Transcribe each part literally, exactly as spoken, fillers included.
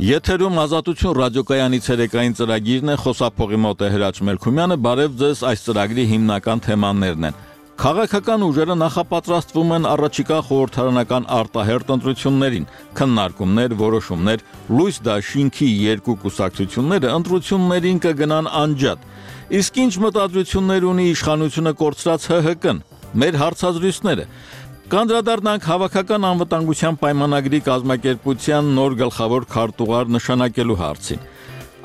Եթերում Ազատություն ռադիոկայանի ցերեկային ծրագիրն է, խոսափողի մոտ է Հրաչ Մելքումյանը, բարև ձեզ, այս ծրագրի հիմնական թեմաներն են։ Քաղաքական ուժերը նախապատրաստվում են առաջիկա խորհրդարանական արտահերթ ընտրություններին, քննարկումներ, որոշումներ, լույս դաշինքի երկու կուսակցությունները ընտրություններին կգնան անջատ։ Իսկ ինչ մտադրություններ ունի իշխանությունը կորցրած Հ Հ Կն, մեր հարցազրույցները։ Կանդրադառնանք հավաքական անվտանգության պայմանագրի կազմակերպության նոր գլխավոր քարտուղար նշանակելու հարցին։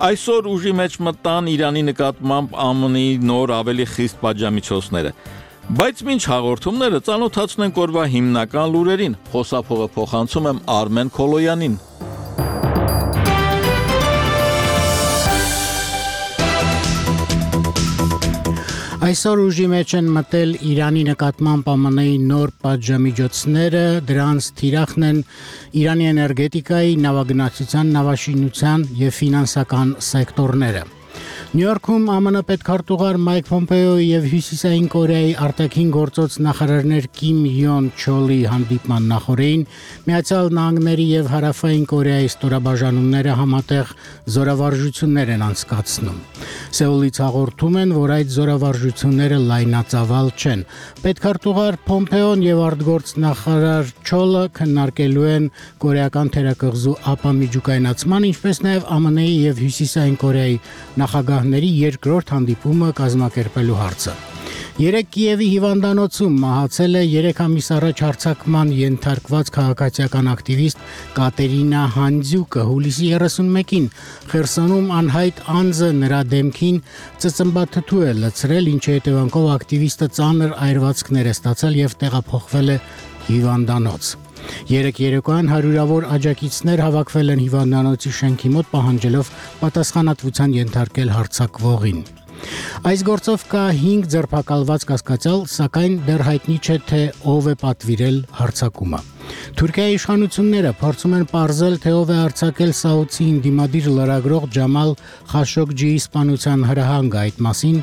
Այսօր ուժի մեջ մտան Իրանի նկատմամբ Ա M N-ի նոր ավելի խիստ պատժամիջոցները։ Բայց մինչ հաղորդումները ծանոթացնենք օրվա հիմնական լուրերին, խոսափողը փոխանցում եմ Արմեն Քոլոյանին։ Այսօր ուժի մեջ են մտել Իրանի նկատմամբ Ա M N-ի նոր պատժամիջոցները, դրանց թիրախն են Իրանի էներգետիկայի, նավագնացության, նավաշինության և ֆինանսական սեկտորները։ Նյու Յորքում Ա M N պետքարտուղար Մայք Պոմպեոյի և Հյուսիսային Կորեայի արտաքին գործոց նախարարներ Կիմ Յոն Չոլի հանդիպման նախօրեին Միացյալ Նահանգների և Հարավային Կորեայի ստորաբաժանումները համատեղ զորավարժություններ են անցկացնում։ Սեուլից հաղորդում են, որ այդ զորավարժությունները լայնածավալ չեն։ Պետքարտուղար Պոմպեոն և արտգործնախարար Չոլը քննարկելու են կորեական թերակղզու ապամիջուկայնացման, ինչպես նաև Ա M N-ի և Հյուսիսային Կորեայի նախագահների երկրորդ հանդիպումը կազմակերպելու հարցը։ Երեկ Կիևի հիվանդանոցում մահացել է երեք ամիս առաջ հարձակման ենթարկված քաղաքացիական ակտիվիստ Կատերինա Հանդզյուկը, հուլիսի երեսունմեկին Խերսոնում անհայտ անձը նրա դեմքին ծծմբաթթու է լցրել, ինչի հետևանքով ակտիվիստը ծանր այրվածքներ է ստացել և տեղափոխվել է հիվանդանոց։ Երեք երեկոյան հարյուրավոր աջակիցներ հավաքվել են հիվանդանոցի շենքի մոտ, պահանջելով պատասխանատվության ենթարկել հարձակվողին։ Այս գործով կա հինգ ձերբակալված կասկածյալ, սակայն դեռ հայտնի չէ, թե ով է պատվիրել հարձակումը։ Թուրքիայի իշխանությունները փորձում են պարզել, թե ով է արձակել Սաուդի ընդդիմադիր լրագրող Ջամալ Խաշոգջիի սպանության հրահանգը։ Այդ մասին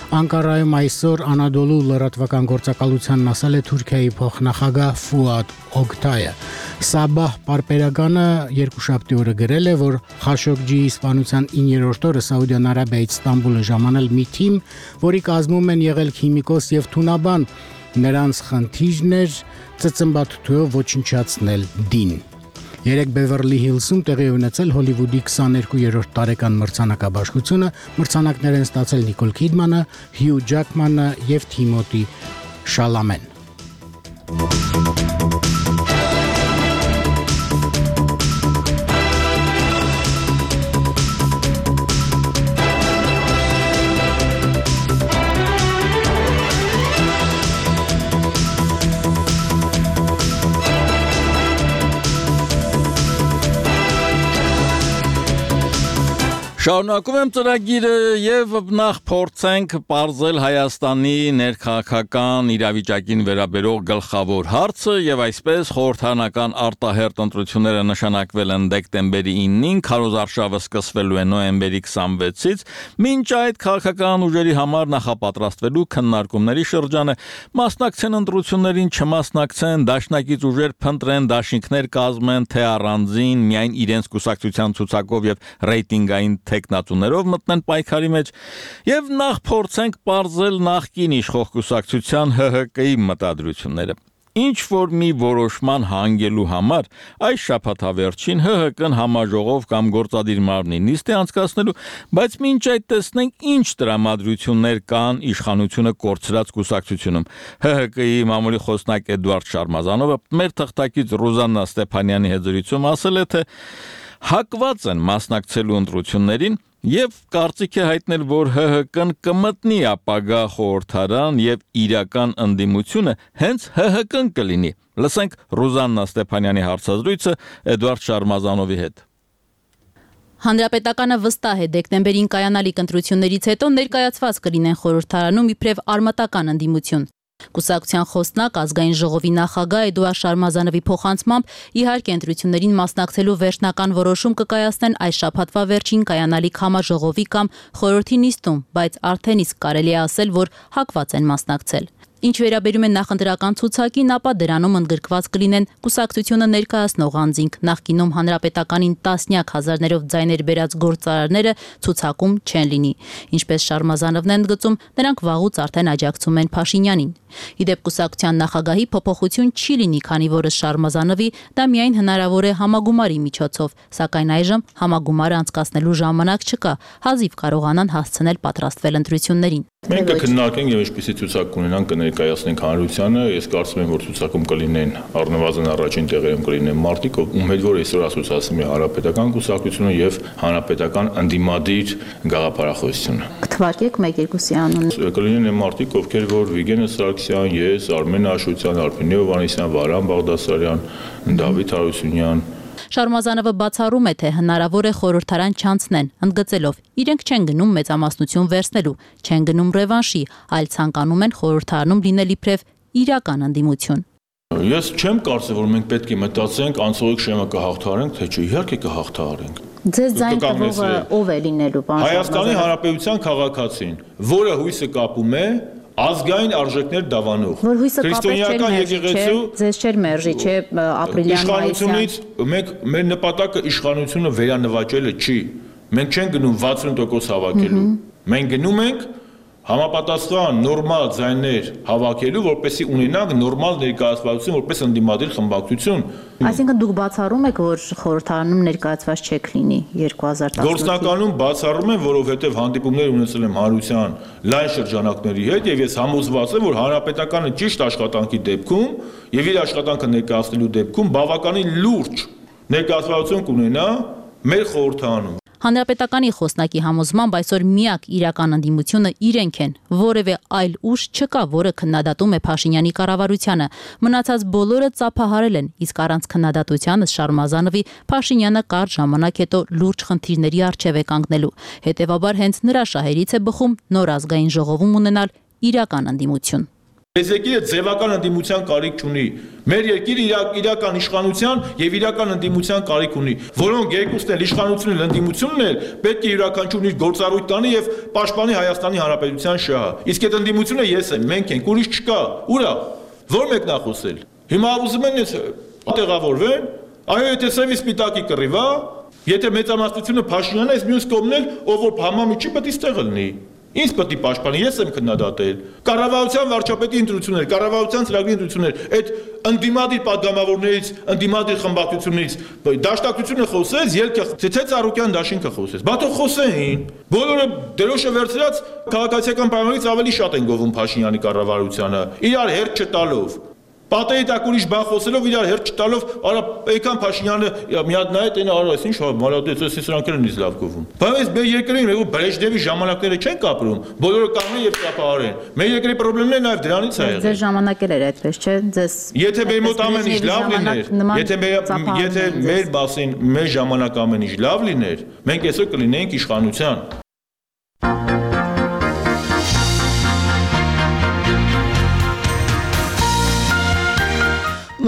Անկարայում այսօր Անադոլու լրատվական գործակալությանն ասել է Թուրքիայի փոխնախագահ Ֆուադ Օգտայը։ Սաբահ պարբերականը երկուշաբթի օրը գրել է, որ Խաշոգջիի սպանության իններորդ օրը Սաուդյան Արաբիայից Ստամբուլ է ժամանել մի թիմ, որի կազմում են եղել քիմիկոս և թունաբան։ Նրանց խնդիրն էր ծծմբաթթուով ոչնչացնել դին։ Երեք Բևերլի Հիլսում տեղի ունեցել Հոլիվուդի քսաներկուերորդ տարեկան մրցանակաբաշխությունը, մրցանակներ են ստացել Նիկոլ Քիդմանը, Հյու Ջաքմանը և Թիմոթի Շալամեն։ Շարունակում եմ ծրագիրը և նախ փորձենք պարզել Հայաստանի ներքաղաքական իրավիճակին վերաբերող գլխավոր հարցը և այսպես խորհրդարանական արտահերթ ընտրությունները նշանակվել են դեկտեմբերի իննին, քարոզարշավը սկսվելու է նոյեմբերի քսանվեցից, մինչ այդ քաղաքական ուժերի համար նախապատրաստվելու քննարկումների շրջանը մասնակցեն ընտրություններին, չմասնակցեն, դաշնակից ուժեր փնտրեն, դաշինքներ կազմեն, թե առանձին, միայն իրենց կուսակցության ցուցակով և ռեյտինգային տեխնատուներով մտնեն պայքարի մեջ եւ նախ փորձենք պարզել նախկին իշխող կուսակցության Հ Հ Կի մտադրությունները։ Ինչ որ մի որոշման հանգելու համար այս շաբաթավերջին Հ Հ Կն համաժողով կամ գործադիր մարմնի նիստ է անցկացնելու, բայց մինչ այդ տեսնենք ինչ տրամադրություններ կան իշխանությունը կորցրած կուսակցությունում։ Հ Հ Կի մամուլի խոսնակ Էդուարդ Շարմազանովը մեր թղթակից Ռուզաննա Ստեփանյանի հետ զրույցում ասել է, թե հակված են մասնակցելու ընտրություններին և կարծիք է հայտնել, որ Հ Հ Կն կմտնի ապագա խորհրդարան և իրական ընդդիմությունը հենց Հ Հ Կն կլինի։ Լսենք Ռուզաննա Ստեփանյանի հարցազրույցը Էդուարդ Շարմազանովի հետ։ Հանրապետականը վստահ է դեկտեմբերին կայանալիք ընտրություններից հետո ներկայացված կլինեն խորհրդարանում իբրև արմատական ընդդիմություն։ Կուսակցության խոսնակ ազգային ժողովի նախագահ Էդուարդ Շարմազանովի փոխանցմամբ իհարկե ընտրություններին մասնակցելու վերջնական որոշում կկայացնեն այս շաբաթվա վերջին կայանալիք համաժողովի կամ խորհրդի նիստում, բայց արդեն իսկ կարելի է ասել, որ հակված են մասնակցել։ Ինչ վերաբերում է նախընտրական ցուցակին, ապա դրանում ընդգրկված կլինեն կուսակցությունը ներկայացնող անձինք, նախկինում հանրապետականին տասնյակ հազարներով ձայներ բերած գործարարները ցուցակում չեն լինի։ Ինչպես Շարմազանովն է ընդգծում, նրանք վաղուց արդեն աջակցում են Փաշինյանին։ Իդեպ կուսակցության նախագահի փոփոխություն չի լինի, քանի որ Շարմազանովի դա միայն հնարավոր է համագումարի միջոցով, սակայն այժմ համագումարը անցկացնելու ժամանակ չկա, հազիվ կարողանան հասցնել պատրաստվել ընտրություններին։ Մենք կքննարկենք եւ ինչպիսի ցուցակ կունենանք կներկայացնենք հանրությանը, ես կարծում եմ որ ցուցակում կլինեն առնվազն առաջին տեղերում կլինեն մարտիկ, ում հետ որ այսօր ասոցիացնում է հանրապետական կուսակցությունը եւ հանրապետական ընդդիմադիր գաղափարախոսությունը։ Կթվարկեք մեկ-երկուսի անունը։ Կլինեն այն մարտիկ, ովքեր որ Վիգենը Սարգսյան, ես, Արմեն Աշոտյան, Արփին Հովհաննիսյան, Վարան Բաղդասարյան, Դավիթ Հարությունյան։ Շարմազանովը բացառում է, թե հնարավոր է խորհրդարան չանցնեն, ընդգծելով, իրենք չեն գնում մեծամասնություն վերցնելու, չեն գնում ռևանշի, այլ ցանկանում են խորհրդարանում լինել իբրև իրական ընդդիմություն։ Ես չեմ կարծում, որ մենք պետք է մտածենք անցողիկ շեմը կհաղթահարենք, թե չէ, իհարկե կհաղթահարենք։ Ձեզ ձայն տվողը ով է լինելու, պարոն Շարմազանով։ Հայաստանի Հանրապետության քաղաքացին, որը հույսը կապում է ազգային արժեքներ դավանող։ Որ հույսը կապել եկեղեցու ձեզ չէր մերժի, չէ, ապրիլյան իշխանությունից մենք մեր նպատակը իշխանությունը վերանվաճելը չի։ Մենք չենք գնում վաթսուն տոկոս հավաքելու։ Մենք գնում ենք համապատասխան նորմալ ձայներ հավաքելու, որպեսզի ունենանք նորմալ ներկայացվածություն, որպես ընդդիմադիր խմբակցություն։ Այսինքն դուք բացառում եք, որ խորհրդարանում ներկայացված չեք լինի երկու հազար տասնութ։ Գործնականում բացառում եմ, որովհետև հանդիպումներ ունեցել եմ հանրության լայն շրջանակների հետ եւ ես համոզված եմ, որ հանրապետականը ճիշտ աշխատանքի դեպքում եւ իր աշխատանքը ներկայացնելու դեպքում բավականին լուրջ ներկայացվածություն կունենա մեր խորհրդարանում։ Հանրապետականի խոսնակի համոզմամբ այսօր միակ իրական ընդդիմությունը իրենք են, որևէ այլ ուժ չկա, որը քննադատում է Փաշինյանի կառավարությանը։ Մնացած բոլորը ծափահարել են, իսկ առանց քննադատության Շարմազանովի Փաշինյանը կարճ ժամանակ հետո լուրջ խնդիրների առջև է կանգնելու։ Հետևաբար հենց նրա շահերից է բխում նոր ազգային ժողովում ունենալ իրական ընդդիմություն։ Այս երկիրը ձևական ընդդիմության կարիք ունի։ Մեր երկիրը իրական իշխանության եւ իրական ընդդիմության կարիք ունի, որոնք երկուսն էլ իշխանությունն էլ ընդդիմությունն էլ պետք է յուրաքանչյուրն իր գործառույթ տանի եւ պաշտպանի Հայաստանի Հանրապետության շահը։ Իսկ այդ ընդդիմությունը ես եմ, մենք ենք, ուրիշ չկա։ Ուրա, ո՞ր մեկն է խոսել։ Հիմա ուզում են տեղավորվեն, այո, եթե սևի սպիտակի կռիվ է, եթե մեծամասնությունը Փաշինյանն է, մյուս կողմն էլ ով որ համամիջի պետք է ստեղ լինի։ Ինչ պետք է պաշտպանի, ես եմ քննադատել։ Կառավարության վարչապետի ընտրություններ, կառավարության ծրագրի ընտրություններ, այդ ընդդիմադիր падգամավորներից, ընդդիմադիր խմբակցություններից դաշնակցությունը խոսեց, ելքը թե Ծառուկյան դաշինքը խոսեց։ Բա թող խոսեին։ Բոլորը դրոշը վերցրած քաղաքացիական պայմաններից ավելի շատ են գովում Փաշինյանի կառավարությանը, իրար հերթ չտալով։ Պատերի տակ ուրիշ բան խոսելով իրար հերթ չտալով, արա եկան Փաշինյանը մի հատ նայեց այն արա, այսինչ մալադեց, էս սրանք են ինձ լավ գովում։ Բայց մեր երկրին ու Բրեժնևի ժամանակները չեն կապրում, բոլորը կանգնեն եւ ճապահարեն։ Մեր երկրի խնդիրները նաեւ դրանից է եղել։ Ձեր ժամանակել էր այդպես, չէ՞, ձեզ։ Եթե մեր մոտ ամեն ինչ լավ լիներ, եթե մեր եթե մեր բասին մեր ժամանակ ամեն ինչ լավ լիներ, մենք այսօր կլինեինք իշխանության։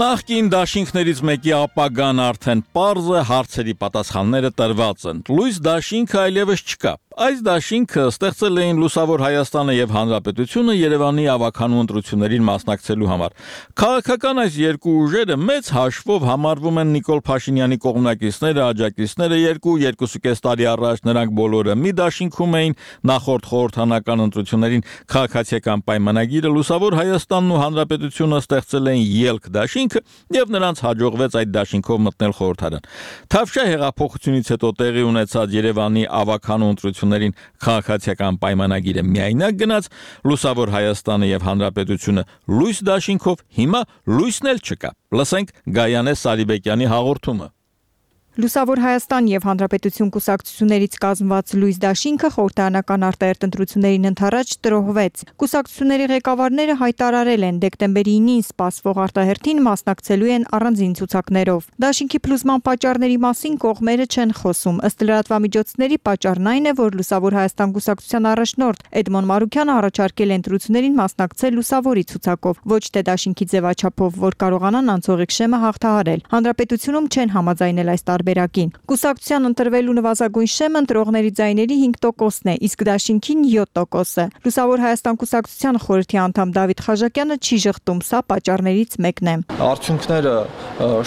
Նախկին դաշինքներից մեկի ապագան արդեն պարզ է, հարցերի պատասխանները տրված են։ Լույս դաշինքը այլևս չկա։ Այս դաշինքը ստեղծել էին Լուսավոր Հայաստանը եւ Հանրապետությունը Երևանի ավականու ընտրություններին մասնակցելու համար։ Քաղաքական այս երկու ուժերը մեծ հաշվով համարվում են Նիկոլ Փաշինյանի կողմնակիցները, աջակիցները, երկու երկուսուկես տարի առաջ նրանք բոլորը մի դաշինքում էին, նախորդ խորհրդանական ընտրություններին քաղաքացիական պայմանագիրը Լուսավոր Հայաստանն ու Հանրապետությունը ստեղծել էին ելք դաշինքը եւ նրանց հաջողվեց այդ դաշինքով մտնել խորհրդարան։ Թավշյա հեղափոխությունից հետո տեղի ունեցած Երևանի ավականու ընտրություններին քաղաքացիական պայմանագիրը միայնակ գնաց, Լուսավոր Հայաստանը եւ Հանրապետությունը լույս դաշինքով, հիմա լույսն էլ չկա։ Լսենք Գայանե Սարիբեկյանի հաղորդումը։ Լուսավոր Հայաստան եւ Հանրապետություն կուսակցություններից կազմված լույս դաշինքը խորհրդարանական արտահերթ ընտրություններին ընդառաջ տրոհվեց։ Կուսակցությունների ղեկավարները հայտարարել են դեկտեմբերի ինին սպասվող արտահերթին մասնակցելու են առանձին ցուցակներով։ Դաշինքի փլուզման պատճառների մասին կողմերը չեն խոսում։ Ըստ լրատվամիջոցների պատճառն այն է, որ Լուսավոր Հայաստան կուսակցության առաջնորդ Էդմոն Մարուկյանը առաջարկել է ընտրություններին մասնակցել Լուսավորի ցուցակով, ոչ թե դաշինքի ձևաչափով, որ կարողանան անցողիկ շեմը հաղթահարել։ Հանրապետությունում չեն համաձայնել այս տարբերակին։ Կուսակցության ընտրվելու նվազագույն շեմը ընտրողների ձայների հինգ տոկոսն է, իսկ Դաշինքին յոթ տոկոսը։ Լուսավոր Հայաստան կուսակցության խորհրդի անդամ Դավիթ Խաժակյանը չի ժխտում, սա պատճառներից մեկն է։ Արդյունքները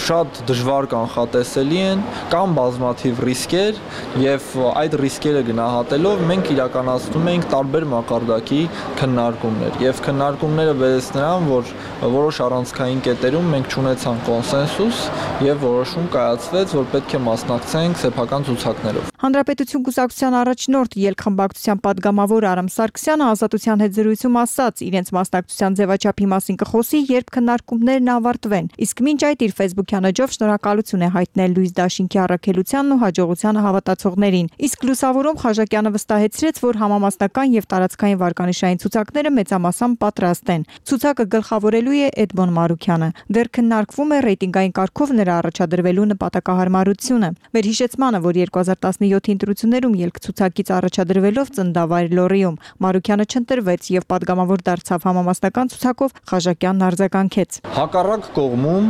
շատ դժվար կանխատեսելի են, կան բազմաթիվ ռիսկեր եւ այդ ռիսկերը գնահատելով մենք իրականացնում ենք տարբեր մակարդակի քննարկումներ եւ քննարկումները բերեց նրան, որ որոշ առանցքային կետերում մենք ունեցանք կոնսենսուս եւ որոշում կայացվեց, որ պետք է մասնակցենք սեփական ցուցակներով։ Հանրապետություն կուսակցության առաջնորդ ելքխմբակցության падգամավոր Արամ Սարգսյանը Ազատության հետ զրույցում ասաց, իրենց մասնակցության ձևաչափի մասին կխոսի, երբ քննարկումներն ավարտվեն։ Իսկ մինչ այդ իր Facebook-յան էջով շնորհակալություն է հայտնել Լույս Դաշինքի առաքելությանն ու հաջողությանը հավատացողներին։ Իսկ լուսավորում Խաժակյանը վստահեցրեց, որ համամասնական եւ տարածքային վարկանիշային ցուցակները մեծամասամբ պատրաստ են։ Ցուցակը գլխավորելու է Էդմոն Մարուքյանը։ Դեռ քննարկվում է ռեյտինգային կարգով նրա առաջադրվելու նպատակահարմարությունը։ Վերհիշեցմանը, որ երկու հազար տասնյոթի ընտրություններում ելքցուցակից առաջադրվելով ծնդավայր Լորիում Մարուքյանը չընտրվեց եւ падգամավոր դարձավ համամասնական ցուցակով, Խաժակյանն արձագանքեց։ Հակառակ կողմում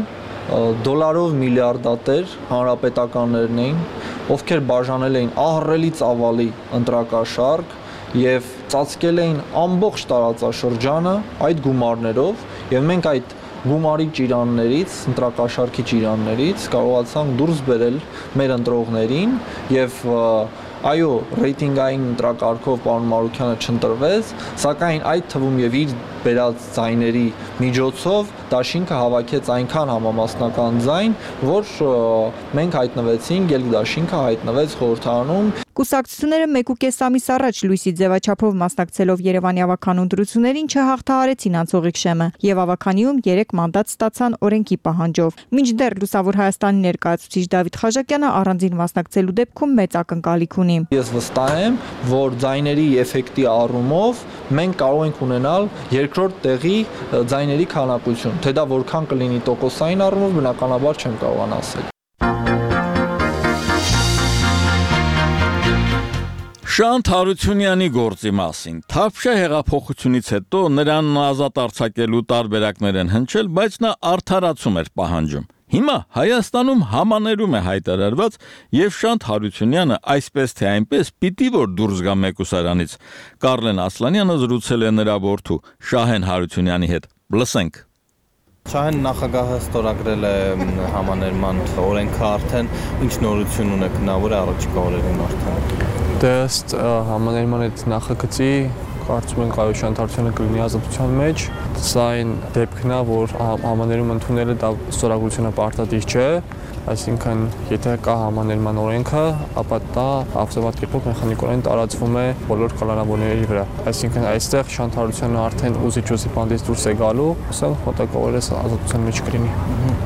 դոլարով միլիարդատեր հանրապետականներն էին, ովքեր բաժանել էին ահռելի ծավալի ընտրակաշարք եւ ծածկել էին ամբողջ տարածաշրջանը այդ գումարներով եւ մենք այդ գումարի ճիրաններից, ընտրակաշարքի ճիրաններից կարողացանք դուրս բերել մեր ընտրողներին եւ այո, ռեյտինգային ընտրակարգով պարոն Մարուքյանը չընտրվեց, սակայն այդ թվում եւ իր բերած ձայների միջոցով Դաշինքը հավաքեց այնքան համամասնական ձայն, որ մենք հայտնվեցինք, ելք Դաշինքը հայտնվեց խորհրդարանում։ Կուսակցությունները մեկ ու կես ամիս առաջ լույսի ձևաչափով մասնակցելով Երևանի ավականու ընտրություններին չհաղթահարեցին անցողիկ շեմը եւ ավականիում երեք մանդատ ստացան օրենքի պահանջով։ Մինչդեռ Լուսավոր Հայաստանի ներկայացուցիչ Դավիթ Խաժակյանը առանձին մասնակցելու դեպքում մեծ ակնկալիք ունի։ Ես վստահ եմ, որ ձայների էֆեկտի առումով մենք կարող ենք ունենալ երկրորդ տեղի ձայների քանակություն, թե դա որքան կլինի տոկոսային առումով բնականաբար չեմ կարողանա ասել։ Շանթ Հարությունյանի գործի մասին։ Թավշյա հեղափոխությունից հետո նրան ազատ արձակելու տարբերակներ են հնչել, բայց նա արդարացում էր պահանջում։ Հիմա Հայաստանում համաներում է հայտարարված եւ Շանթ Հարությունյանը այսպես թե այնպես պիտի որ դուրս գա մեկուսարանից։ Կարլեն Ասլանյանը զրուցել է նրա որդու Շահեն Հարությունյանի հետ։ Լսենք։ Շահեն նախագահը ստորագրել է համաներման օրենքը արդեն, ինչ նորություն ունեք նա, որ առաջիկա օրերին արդեն։ Դե ըստ համաներման այդ նախագծի կարծում ենք այո Շանթ Հարությունյանը կլինի ազատության մեջ, սա այն դեպքն է, որ համաներում ընդունելը դա ստորագրությունը պարտադիր չէ, այսինքն եթե կա համաներման օրենքը, ապա դա ավտոմատ կերպով մեխանիկորեն տարածվում է բոլոր կալանավորների վրա։ Այսինքն այստեղ Շանթ Հարությունյանը արդեն ուզիչ-ուզի բանդից դուրս է գալու, սա մոտակայքորես ազատության մեջ կլինի։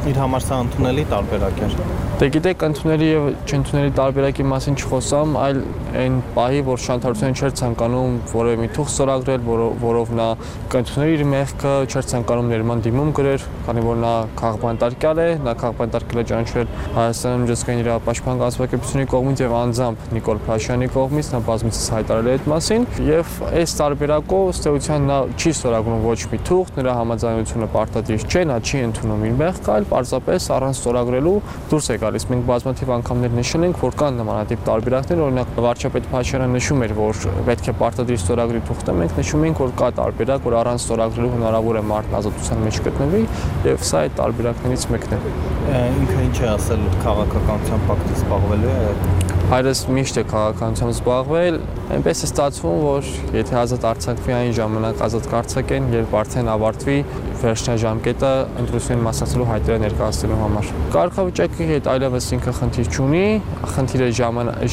Իր համար սա ընդունելի տարբերակ էր։ Դե գիտեք, ընդունելի եւ չընդունելի տարբերակի մասին չխոսամ, այլ այն պահի, որ Շանթ Հարությունյանը չէր ցանկանում որևէ մի թուղթ ստորագրել, որով նա կընդուներ իր մեղքը, չէր ցանկանում ներման դիմում գրեր, քանի որ նա քաղբանտարկյալ է, նա քաղբանտարկել է ճանաչվել Հայաստանի միջազգային իրավապաշտպան կազմակերպությունների կողմից եւ անձամբ Նիկոլ Փաշյանի կողմից, նա բազմիցս հայտարարել է այդ մասին եւ այս տարբերակով ըստ էության նա չի ստորագրում ոչ մի թուղթ, նրա համաձայնությունը պարտադիր չէ, նա չի ընդունում իր մեղքը, այլ պարզապես առանց ստորագրելու դուրս է գալիս։ Մենք բազմաթիվ անգամներ նշել ենք, որ կան նմանատիպ տարբերակներ, օրինակ վարչապետ Փաշյանը նշում էր, որ պետք է պարտադիր ստորագրի թուղթը, մենք նշում ենք, որ կա տարբերակ, որ առանց ստորագրելու հնարավոր է մարդն ազատության մեջ գտնվի եւ սա այդ տարբերակներից մեկն է։ Ինքը ինչ է ասել քաղաքականության պակտից զբաղվելու է։ Հայրս միշտ է քաղաքականությամբ զբաղվել, այնպես է ստացվում, որ եթե ազատ արձակվի այն ժամանակ ազատ կարձակեն, երբ արդեն ավարտվի վերջնաժամկետը ընտրություններին մասնակցելու հայտերը ներկայացնելու համար։ Կարգավիճակի հետ այլևս ինքը խնդիր չունի, խնդիրը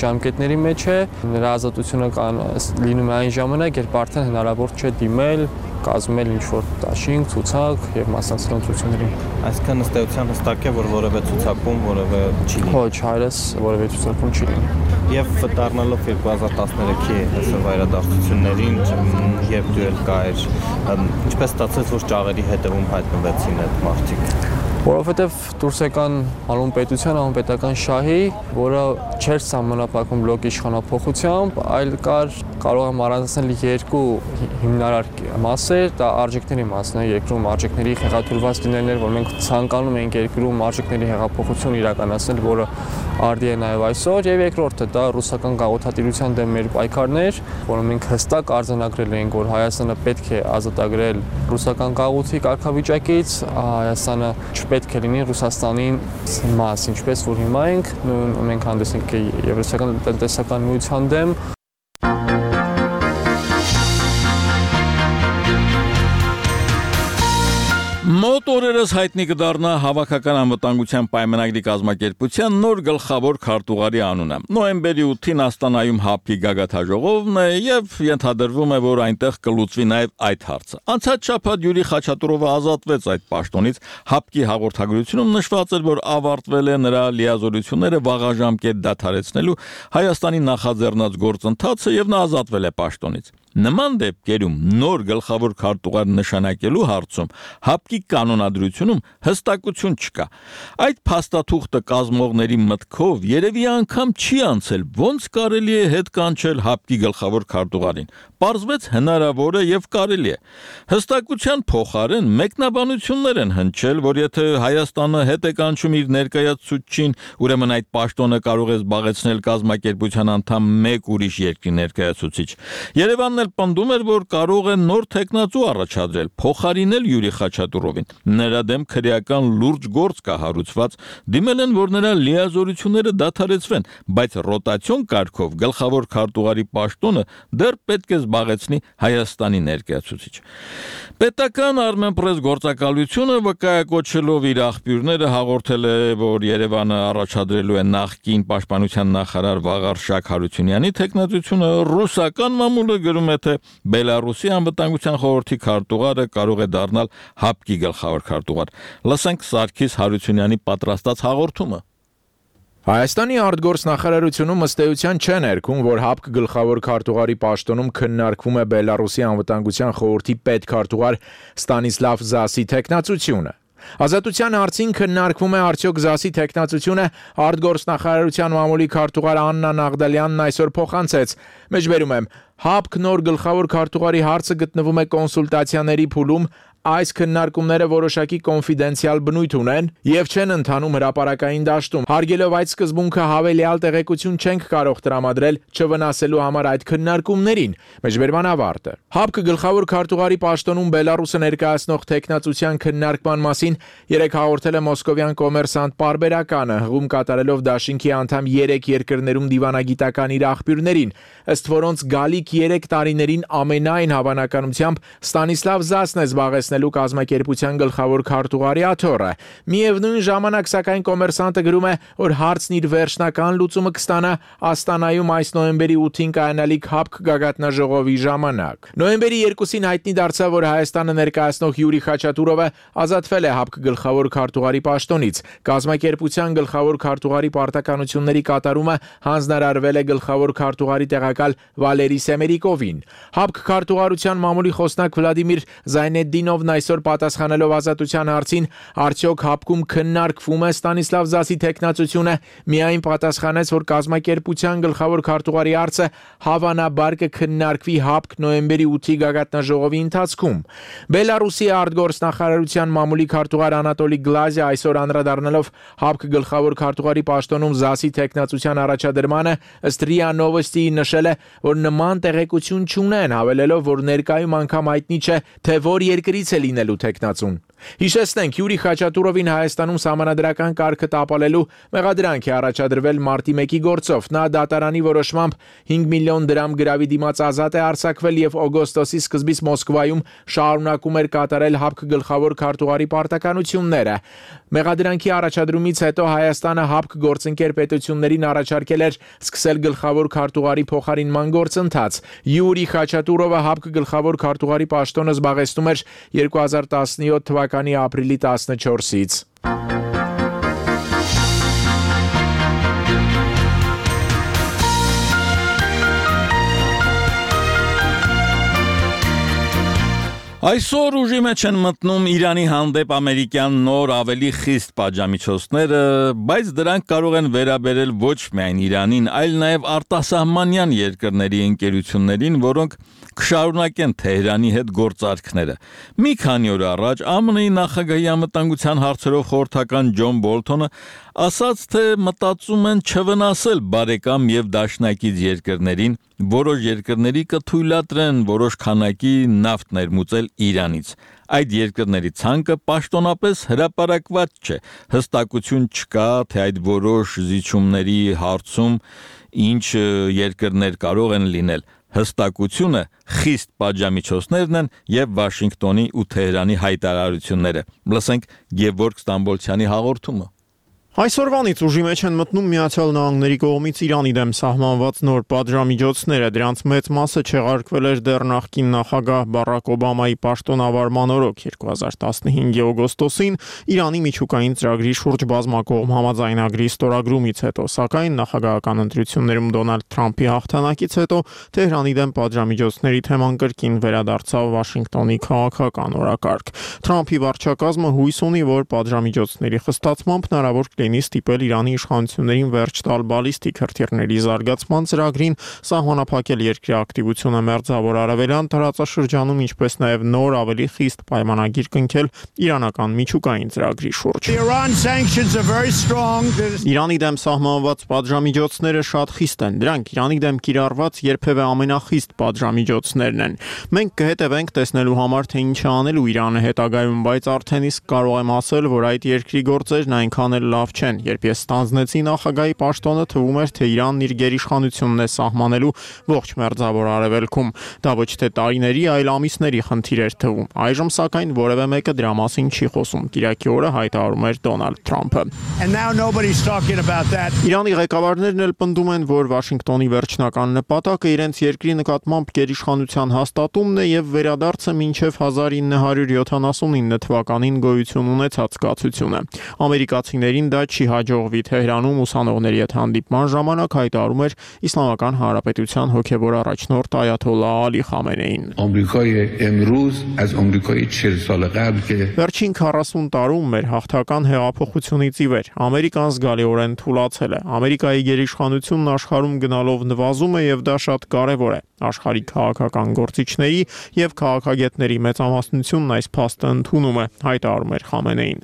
ժամկետների մեջ է, նրա ազատությունը կան լինում է այն ժամանակ, երբ արդեն հնարավոր չէ դիմել, կազմել ինչ-որ դաշինք, ցուցակ եւ մասնակցել ընտրություններին։ Այսինքն ըստ էության հստակ է, որ որևէ ցուցակում որևէ չի լինի։ Ոչ, հայրս որևէ ցուցակում չի լինի։ Եվ դառնալով երկու հազար տասներեքի հեսով իրադարձություններին, երբ դու ել կայր, ինչպես ստացեց, որ ճաղերի հետևում հայտնվեցին այդ մարդիկ։ Որովհետև դուրս եկան հանուն պետության, հանուն պետական շահի, որը չէր սահմանափակվում բլոկ իշխանափոխությամբ, այլ կար կարող եմ առանձնել երկու հիմնարար մասեր, դա արժեքների մասն է, երկրում արժեքների հեղաթուրված լինելն էր, որ մենք ցանկանում ենք երկրում արժեքների հեղափոխություն իրականացնել, որը արդի է նաև այսօր, եւ երկրորդը դա ռուսական գաղութատիրության դեմ մեր պայքարներ, որոնք մենք հստակ արձանագրել ենք, որ Հայաստանը պետք է ազատագրել ռուսական գաղութի կարգավիճակից, Հայաստանը չպետք է լինի Ռուսաստանի մաս, ինչպես որ հիմա ենք, մենք հանդես ենք Եվրասիական տնտեսական միության դեմ։ Մոտ օրերս հայտնի կդառնա Հավաքական անվտանգության պայմանագրի կազմակերպության նոր գլխավոր քարտուղարի անունը։ Նոյեմբերի ութին Աստանայում ՀԱՊԿ-ի գագաթաժողովն է եւ ենթադրվում է, որ այնտեղ կլուծվի նաեւ այդ հարցը։ Անցած շաբաթ Յուրի Խաչատուրովը ազատվեց այդ պաշտոնից։ ՀԱՊԿ-ի հաղորդագրությունում նշված էր, որ ավարտվել է նրա լիազորությունները վաղաժամկետ դադարեցնելու Հայաստանի նախաձեռնած գործընթացը եւ նա ազատվել է պաշտոնից։ Նման դեպքերում նոր գլխավոր քարտուղար նշանակելու հարցում ՀԱՊԿ-ի կանոնադրությունում հստակություն չկա։ Այդ փաստաթուղթը կազմողների մտքով երևի անգամ չի անցել, ոնց կարելի է հետ կանչել ՀԱՊԿ-ի գլխավոր քարտուղարին։ Պարզվեց հնարավոր է եւ կարելի է։ Հստակության փոխարեն մեկնաբանություններ են հնչել, որ եթե Հայաստանը հետ է կանչում իր ներկայացուցչին, ուրեմն այդ պաշտոնը կարող է զբաղեցնել կազմակերպության անդամ մեկ ուրիշ երկրի ներկայացուցիչ։ Երևանն պնդում էր, որ կարող է նոր տեխնացու առաջադրել, փոխարինել Յուրի Խաչատուրովին։ Նրա դեմ քրեական լուրջ գործ կա հարուցված, դիմել են, որ նրա լիազորությունները դադարեցվեն, բայց ռոտացիոն կարգով գլխավոր քարտուղարի պաշտոնը դեռ պետք է զբաղեցնի Հայաստանի ներկայացուցիչ։ Պետական Armenpress գործակալությունը վկայակոչելով իր աղբյուրները հաղորդել է, որ Երևանը առաջադրելու է նախկին պաշտպանության նախարար Վաղարշակ Հարությունյանի տեխնացությունը, ռուսական մամուլը գրում է, թե Բելարուսի անվտանգության խորհրդի քարտուղարը կարող է դառնալ ՀԱՊԿ-ի գլխավոր քարտուղար։ Լսենք Սարգիս Հարությունյանի պատրաստած հաղորդումը։ Հայաստանի արտգործնախարարությունում ըստ էության չեն ներքում, որ ՀԱՊԿ գլխավոր քարտուղարի պաշտոնում քննարկվում է Բելարուսի անվտանգության խորհրդի պետքարտուղար Ստանիսլավ Զասի տեխնացությունը։ Ազատության հարցին քննարկվում է արդյոք Զասի տեխնացությունը արտգործնախարարության մամուլի քարտուղար Աննա Նաղդալյանն այսօր փոխանցեց։ Մեջբերում եմ, ՀԱՊԿ նոր գլխավոր քարտուղարի հարցը գտնվում է կոնսուլտացիաների փուլում, այս քննարկումները որոշակի կոնֆիդենցիալ բնույթ ունեն եւ չեն ընթանում հրապարակային դաշտում։ Հարգելով այդ սկզբունքը հավելյալ տեղեկություն չենք կարող տրամադրել չվնասելու համար այդ քննարկումներին։ Մեջբերման ավարտը։ ՀԱՊԿ գլխավոր քարտուղարի պաշտոնում Բելարուսը ներկայացնող տեխնացության քննարկման մասին երեք հաղորդել է մոսկովյան կոմերսանտ պարբերականը, հղում կատարելով դաշինքի անդամ երեք երկրներում դիվանագիտական իր աղբյուրներին, ըստ որոնց գալիք երեք տարիներին ամենայն հավանականությամբ Ստանիսլավ Զասն է զբաղեցնելու կազմակերպության գլխավոր քարտուղարի աթոռը։ Միևնույն ժամանակ, սակայն, կոմերսանտը գրում է, որ հարցն իր վերջնական լուծումը կստանա Աստանայում այս նոյեմբերի ութին կայանալիք ՀԱՊԿ գագաթնաժողովի ժամանակ։ Նոյեմբերի երկուսին հայտնի դարձավ, որ Հայաստանը ներկայացնող Յուրի Խաչատուրովը ազատվել է ՀԱՊԿ գլխավոր քարտուղարի պաշտոնից։ Կազմակերպության գլխավոր քարտուղարի պարտականությունների կատարումը հանձնարարվել է գլխավոր քարտուղարի տեղակալ Վալերի Սեմերիկովին։ ՀԱՊԿ քարտուղարության մամուլի խոսնակ Վլադիմիր Զայնեդդինովն այսօր պատասխանելով ազատության հարցին, արդյոք ՀԱՊԿ-ում քննարկվում է Ստանիսլավ Զասի տեխնացությունը, միայն պատասխանեց, որ կազմակերպության գլխավոր քարտուղարի հարցը հավանաբար կքննարկվի ՀԱՊԿ նոյեմբերի ութի գագաթնաժողովի ընթացքում։ Բելարուսի արտգործնախարարության մամուլի քարտուղար Անատոլի Գլազիա այսօր անդրադառնալով ՀԱՊԿ գլխավոր քարտուղարի պաշտոնում Զասի տեխնացության առաջադրմանը, ըստ ՌԻԱ Նովոստիի նշել է, որ նման տեղեկություն չունեն, հավելելով, որ ներկայում անգամ հայտնի չէ, թե որ երկրից է լինելու տեխնացուն։ Հիշեցնենք, Յուրի Խաչատուրովին Հայաստանում սահմանադրական կարգը տապալելու մեղադրանք է առաջադրվել մարտի մեկի գործով։ Նա դատարանի որոշմամբ հինգ միլիոն դրամ գրավի դիմաց ազատ է արձակվել եւ օգոստոսի սկզբից Մոսկվայում շարունակում էր կատարել ՀԱՊԿ գլխավոր քարտուղարի պարտականությունները։ Մեղադրանքի առաջադրումից հետո Հայաստանը ՀԱՊԿ գործընկեր պետություններին առաջարկել էր սկսել գլխավոր քարտուղարի փոխարինման գործընթաց։ Յուրի Խաչատուրովը ՀԱՊԿ գլխավոր քարտուղարի պաշտոնը զբաղեցնում էր երկու հազար տասնյոթ թվականի ապրիլի տասնչորսից։ Այսօր ուժի մեջ են մտնում Իրանի հանդեպ ամերիկյան նոր ավելի խիստ պատժամիջոցները, բայց դրանք կարող են վերաբերել ոչ միայն Իրանին, այլ նաև արտասահմանյան երկրների ընկերություններին, որոնք կշարունակեն Թեհրանի հետ գործարքները։ Մի քանի օր առաջ ԱՄՆ-ի նախագահի անվտանգության հարցերով խորհրդական Ջոն Բոլթոնը ասաց, թե մտածում են չվնասել բարեկամ եւ դաշնակից երկրներին, որոշ երկրների կթույլատրեն որոշ քանակի նավթ ներմուծել Իրանից։ Այդ երկրների ցանկը պաշտոնապես հրապարակված չէ, հստակություն չկա, թե այդ որոշ զիջումների հարցում ինչ երկրներ կարող են լինել։ Հստակությունը խիստ պատժամիջոցներն են եւ Վաշինգտոնի ու Թեհրանի հայտարարությունները։ Լսենք Գևորգ Ստամբոլցյանի հաղորդումը։ Այսօրվանից ուժի մեջ են մտնում Միացյալ Նահանգների կողմից Իրանի դեմ սահմանված նոր պատժամիջոցները, դրանց մեծ մասը չեղարկվել էր դեռ նախկին նախագահ Բարակ Օբամայի պաշտոնավարման օրոք երկու հազար տասնհինգի օգոստոսին Իրանի միջուկային ծրագրի շուրջ բազմակողմ համաձայնագրի ստորագրումից հետո, սակայն նախագահական ընտրություններում Դոնալդ Թրամփի հաղթանակից հետո Թեհրանի դեմ պատժամիջոցների թեման կրկին վերադարձավ Վաշինգտոնի քաղաքական օրակարգ։ Թրամփի վարչակազմը հույս ունի, որ պատժամիջոցների խստացմամբ հնարավոր կլինի ստիպել Իրանի իշխանություններին վերջ տալ բալիստիկ հրթիռների զարգացման ծրագրին, սահմանափակել երկրի ակտիվությունը Մերձավոր Արևելյան տարածաշրջանում, ինչպես նաև նոր ավելի խիստ պայմանագիր կնքել իրանական միջուկային ծրագրի շուրջ։ Իրանի դեմ սահմանված պատժամիջոցները շատ խիստ են, դրանք Իրանի դեմ կիրառված երբևէ ամենախիստ պատժամիջոցներն են։ Մենք կհետևենք տեսնելու համար, թե ինչ է անելու Իրանը հետագայում, բայց արդեն իսկ կարող եմ ասել, որ այդ երկրի գործերն այնքան էլ լավ չեն։ Երբ ես ստանձնեցի նախագահի պաշտոնը, թվում էր, թե Իրանն իր գերիշխանությունն է սահմանելու ողջ Մերձավոր Արևելքում։ Դա ոչ թե տարիների, այլ ամիսների խնդիր էր թվում։ Այժմ սակայն որևէ մեկը դրա մասին չի խոսում։ Կիրակի օրը հայտարարում էր Դոնալդ Թրամփը։ Իրանի ղեկավարներն էլ պնդում են, որ Վաշինգտոնի վերջնական նպատակը իրենց երկրի նկատմամբ գերիշխանության հաստատումն է եւ վերադարձը մինչեւ հազար ինը հարյուր յոթանասունինը թվականին գոյություն ունեցած կացությունը։ Ամերիկացիներին դա չի հաջողվի։ Թեհրանում ուսանողների հետ հանդիպման ժամանակ հայտարարում էր Իսլամական Հանրապետության հոգևոր առաջնորդ Այաթոլլահ Ալի Խամենեին։ Վերջին քառասուն տարում մեր հաղթական հեղափոխությունից ի վեր Ամերիկան զգալիորեն թուլացել է։ Ամերիկայի գերիշխանությունն աշխարհում գնալով նվազում է եւ դա շատ կարեւոր է։ Աշխարհի քաղաքական գործիչների եւ քաղաքագետների մեծամասնությունն այս փաստը ընդունում է, հայտարարում էր Խամենեին։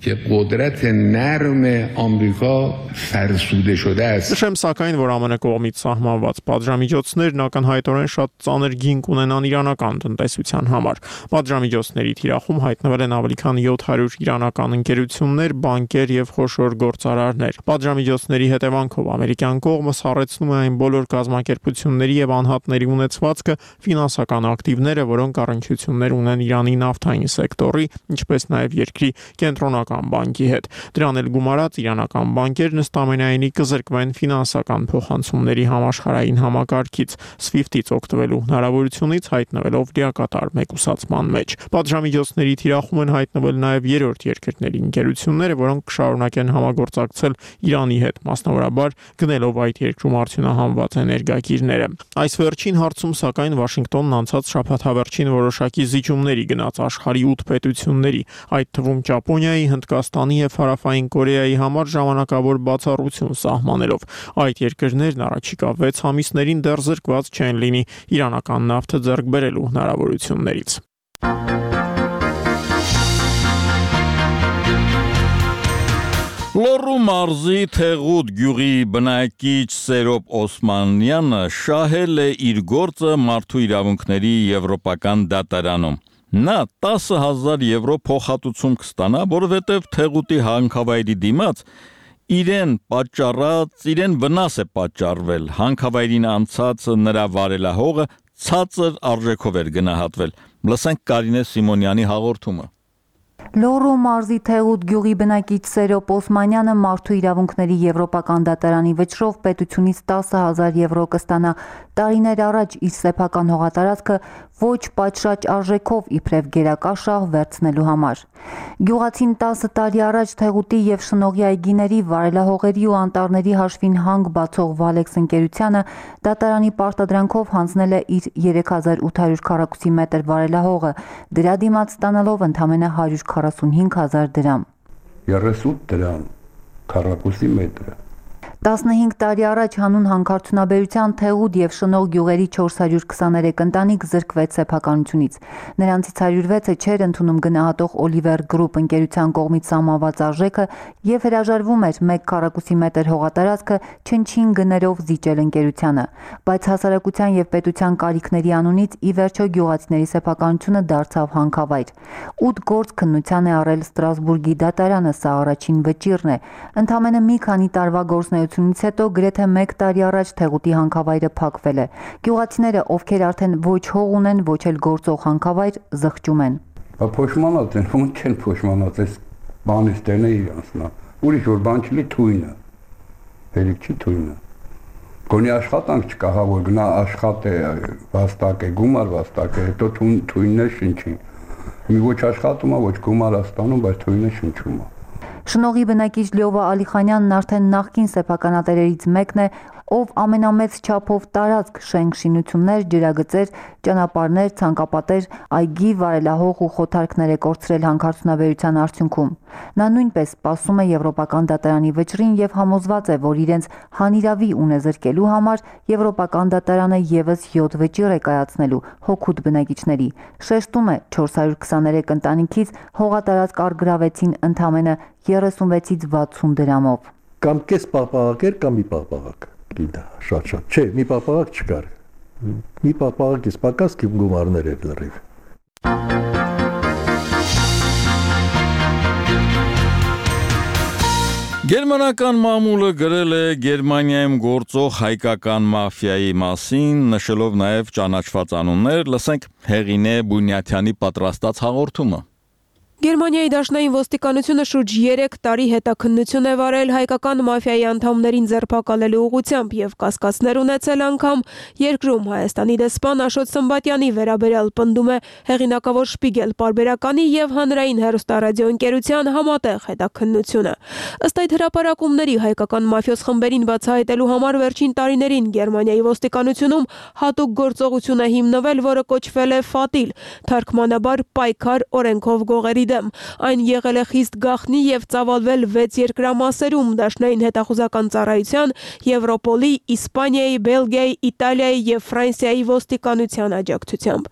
Նշեմ սակայն, որ ԱՄՆ կողմից սահմանված պատժամիջոցներն ակնհայտորեն շատ ծանր գինք ունենան իրանական տնտեսության համար։ Պատժամիջոցների թիրախում հայտնվել են ավելի քան յոթ հարյուր իրանական ընկերություններ, բանկեր եւ խոշոր գործարարներ։ Պատժամիջոցների հետևանքով ամերիկյան կողմը սառեցնում է այն բոլոր կազմակերպությունների եւ անհատների ունեցվածքը, ֆինանսական ակտիվները, որոնք առնչություններ ունեն Իրանի նավթային սեկտորի, ինչպես նաեւ երկրի կենտրոնական բանկի հետ։ Դրան էլ գումարած իրանական բանկերն ըստ ամենայնի կզրկվեն ֆինանսական փոխանցումների համաշխարհային համակարգից, սվիֆթից օգտվելու հնարավորությունից հայտնվելով լիակատար մեկուսացման մեջ։ Պատժամիջոցների թիրախում են հայտնվել նաև երրորդ երկրների ընկերությունները, որոնք կշարունակեն համագործակցել Իրանի հետ, մասնավորաբար գնելով այդ երկրում արդյունահանված էներգակիրները։ Այս վերջին հարցում սակայն Վաշինգտոնն անցած շաբաթավերջին որոշակի զիջումների գնաց աշխարհի ութ պետությունների, այդ թվում Ճապոնիայի, Հնդկաստանի եւ Հարավային Կորեայի համար ժամանակավոր բացառություն սահմանելով։ Այդ երկրներն առաջիկա վեց ամիսներին դեռ զրկված չեն լինի իրանական նավթը ձեռք բերելու հնարավորություններից։ Լոռու մարզի Թեղուտ գյուղի բնակիչ Սերոբ Օսմանյանը շահել է իր գործը մարդու իրավունքների եվրոպական դատարանում։ Նա տասը հազար եվրո փոխհատուցում կստանա, որովհետև Թեղուտի հանքավայրի դիմաց իրեն պատճառած, իրեն վնաս է պատճառվել, հանքավայրին անցած նրա վարելահողը ցածր արժեքով էր գնահատվել։ Լսենք Կարինե Սիմոնյանի հաղորդումը։ Լոռու մարզի Թեղուտ գյուղի բնակիչ Սերոպ Օսմանյանը մարդու իրավունքների եվրոպական դատարանի վճռով պետությունից տասը հազար եվրո կստանա տարիներ առաջ իր սեփական հողատարածքը ոչ պատշաճ արժեքով իբրև գերակաշահ վերցնելու համար։ Գյուղացին տասը տարի առաջ Թեղուտի եւ Շնողի այգիների վարելահողերի ու անտառների հաշվին հանգ բացող Վալեքս ընկերությանը դատարանի պարտադրանքով հանձնել է իր երեք հազար ութ հարյուր քառակուսի մետր վարելահողը, դրա դիմաց ստանալով ընդամենը հարյուր քառասունհինգ հազար դրամ։ երեսուն դրամ քառակուսի մետրը։ տասնհինգ տարի առաջ հանուն հանքարդյունաբերության Թեղուտ եւ Շնող գյուղերի չորս հարյուր քսաներեք ընտանիք զրկվեց սեփականությունից։ Նրանցից հարյուր վեցը չէր ընդունում գնահատող Oliver Group ընկերության կողմից սահմանված արժեքը եւ հրաժարվում էր մեկ քառակուսի մետր հողատարածքը չնչին գներով զիջել ընկերությանը, բայց հասարակության եւ պետության կարիքների անունից ի վերջո գյուղացիների սեփականությունը դարձավ հանքավայր։ ութ գործ քննության է առել Ստրասբուրգի դատարանը, սա առաջին վճիռն է։ Ընդամենը մի քանի տարվա գործունեություն հետո գրեթե մեկ տարի առաջ Թեղուտի հանքավայրը փակվել է։ Գյուղացիները, ովքեր արդեն ոչ հող ունեն, ոչ էլ գործող հանքավայր, զղջում են։ Բա փոշմանած են, ոնց չեն փոշմանած, այս բանից տենը իրանցնա։ Ուրիշ որ բան չլի թույնը։ Հերիք չի թույնը։ Գոնի աշխատանք չկա, հա որ գնա աշխատե, վաստակ է, գումար վաստակ է, հետո թույնն է շնչի։ Մի ոչ աշխատում է, ոչ գումար ստանում, բայց թույնը շնչում է։ Շնողի բնակիչ Լյովա Ալիխանյանն արդեն նախկին սեփականատերերից մեկն է, ով ամենամեծ չափով տարածք շենք շինություններ, ջրագծեր, ճանապարհներ, ցանկապատեր, այգի, վարելահող ու խոթարքներ է կորցրել հանքարդյունաբերության արդյունքում։ Նա նույնպես սպասում է եվրոպական դատարանի վճռին եւ համոզված է, որ իրենց հանիրավի ունե զրկելու համար եվրոպական դատարանը եւս յոթ վճիռ է կայացնելու հոգուտ բնակիչների։ Շեշտում է չորս հարյուր քսաներեք ընտանիքից հողատարածք առգրավեցին ընդամենը երեսունվեցից վաթսուն դրամով։ Կամ կես պաղպաղակ էր, կամ մի պաղպաղակ։ Գիտա, շատ շատ։ Չէ, մի պաղպաղակ չկար։ Մի պաղպաղակից պակաս գումարներ էր լրիվ։ Գերմանական մամուլը գրել է Գերմանիայում գործող հայկական մաֆիայի մասին, նշելով նաև ճանաչված անուններ, լսենք Հեղինե Բունյաթյանի պատրաստած հաղորդումը։ Գերմանիայի դաշնային ոստիկանությունը շուրջ երեք տարի հետաքննություն է վարել հայկական մաֆիայի անդամներին ձերբակալելու ուղղությամբ եւ կասկածներ ունեցել անգամ երկրում Հայաստանի դեսպան Աշոտ Սմբատյանի վերաբերյալ պնդում է հեղինակավոր Շպիգել պարբերականի եւ հանրային հեռուստարադիոընկերության համատեղ հետաքննությունը։ Ըստ այդ հրապարակումների հայկական մաֆիոս խմբերին բացահայտելու համար վերջին տարիներին Գերմանիայի ոստիկանությունում հատուկ գործողություն է հիմնվել, որը կոչվել է Ֆատիլ, թարգմանաբար պայքար օրենքով գողերի Այն եղել է խիստ գաղտնի եւ ծավալվել վեց երկրամասերում դաշնային հետախուզական ծառայության, Եվրոպոլի, Իսպանիայի, Բելգիայի, Իտալիայի եւ Ֆրանսիայի ոստիկանության աջակցությամբ։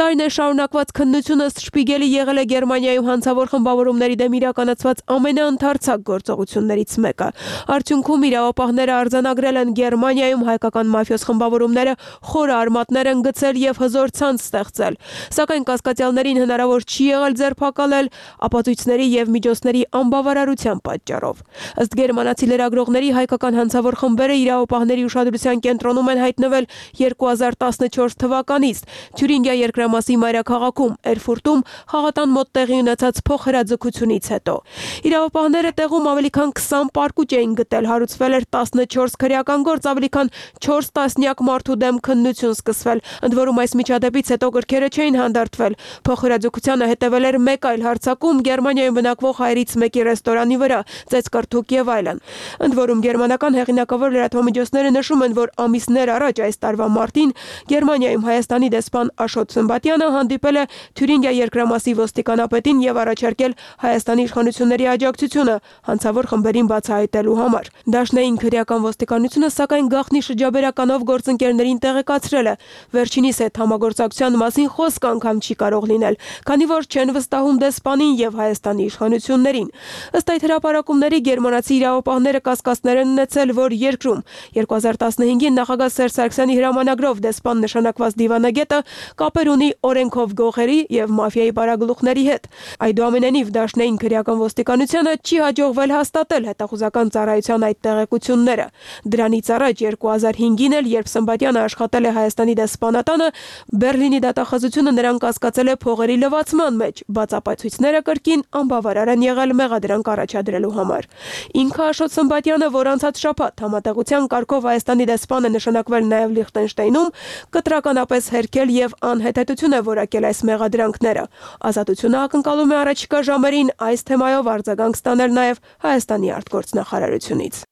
Տարիներ շարունակված քննությունը Շպիգելի եղել է Գերմանիայում հանցավոր խմբավորումների դեմ իրականացված ամենաընդարձակ գործողություններից մեկը։ Արդյունքում իրավապահները արձանագրել են Գերմանիայում հայկական մաֆիոս խմբավորումները խորը արմատներ են գցել եւ հզոր ցանց ստեղծել։ Սակայն կասկածյալներին հնարավոր չի եղել ձերբակալել ապացույցների եւ միջոցների անբավարարության պատճառով։ Ըստ գերմանացի լրագրողների հայկական հանցավոր խմբերը իրավապահների ուշադրության կենտրոնում են հայտնվել երկու հազար տասնչորս թվականից Թյուրինգիա երկրամասի մայրաքաղաքում Էրֆուրտում խաղատան մոտ տեղի ունեցած փոխհրաձգությունից հետո։ Իրավապահները տեղում ավելի քան քսան պարկուճ էին գտել, հարուցվել էր տասնչորս քրեական գործ, ավելի քան չորս տասնյակ մարդու դեմ քննություն սկսվել։ Ընդ որում այս միջադեպից հետո գրքերը չէին հանդարտվել։ Փոխհրաձգությանը հետևել էր մեկ այլ հարձակում Գերմանիայում բնակվող հայերից մեկի ռեստորանի վրա, ծեծկրթուկ եւ այլն։ Ընդ որում գերմանական հեղինակավոր լրատվամիջոցները նշում են, որ ամիսներ առաջ այս տարվա մարտին Գերմանիայում Հայաստանի դեսպան Աշոտ Սմբատյանը հանդիպել է Թյուրինգիա երկրամասի ոստիկանապետին եւ առաջարկել Հայաստանի իշխանությունների աջակցությունը հանցավոր խմբերին բացահայտելու համար։ Դաշնային քրեական ոստիկանությունը սակայն գաղտնի շրջաբերականով գործընկերներին տեղեկացրել է։ Վերջինիս հետ համագործակցության մասին խոսք անգամ չի կարող լինել, քանի որ չեն վստահում դեսպանին եւ Հայաստանի իշխանություններին։ Ըստ այդ հրապարակումների գերմանացի իրավապահները կասկածներ են ունեցել, որ երկրում երկու հազար տասնհինգին նախագահ Սերժ Սարգսյանի հրամանագրով դեսպան նշանակված դիվանագետը կապեր ունի օրենքով գողերի եւ մաֆիայի բարագլուխների հետ։ Այդուամենայնիվ դաշնային քրեական ոստիկանությանը չի հաջողվել հաստատել հետախուզական ծառայության այդ տեղեկությունները։ Դրանից առաջ երկու հազար հինգին էլ, երբ Սմբատյանը աշխատել է Հայաստանի դեսպանատանը, Բեռլինի դատախազությունը նրան կասկածել է փողերի լվացման մեջ, բացապայծ ապացույցները կրկին անբավարար են եղել մեղադրանք առաջադրելու համար։ Ինքը Աշոտ Սմբատյանը, որ անցած շաբաթ համատեղության կարգով Հայաստանի դեսպան է նշանակվել նաև Լիխտենշտեյնում, կտրականապես հերքել եւ անհետեթություն է որակել այս մեղադրանքները։ Ազատությունը ակնկալում է առաջիկա ժամերին այս թեմայով արձագանք ստանել նաև Հայաստանի արտգործնախարարությունից։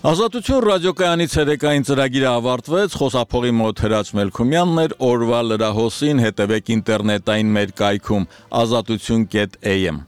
Ազատություն ռադիոկայանի ցերեկային ծրագիրը ավարտվեց, խոսափողի մոտ Հրաչ Մելքումյանն էր, օրվա լրահոսին հետևեք ինտերնետային մեր կայքում ազատություն կետ էյ էմ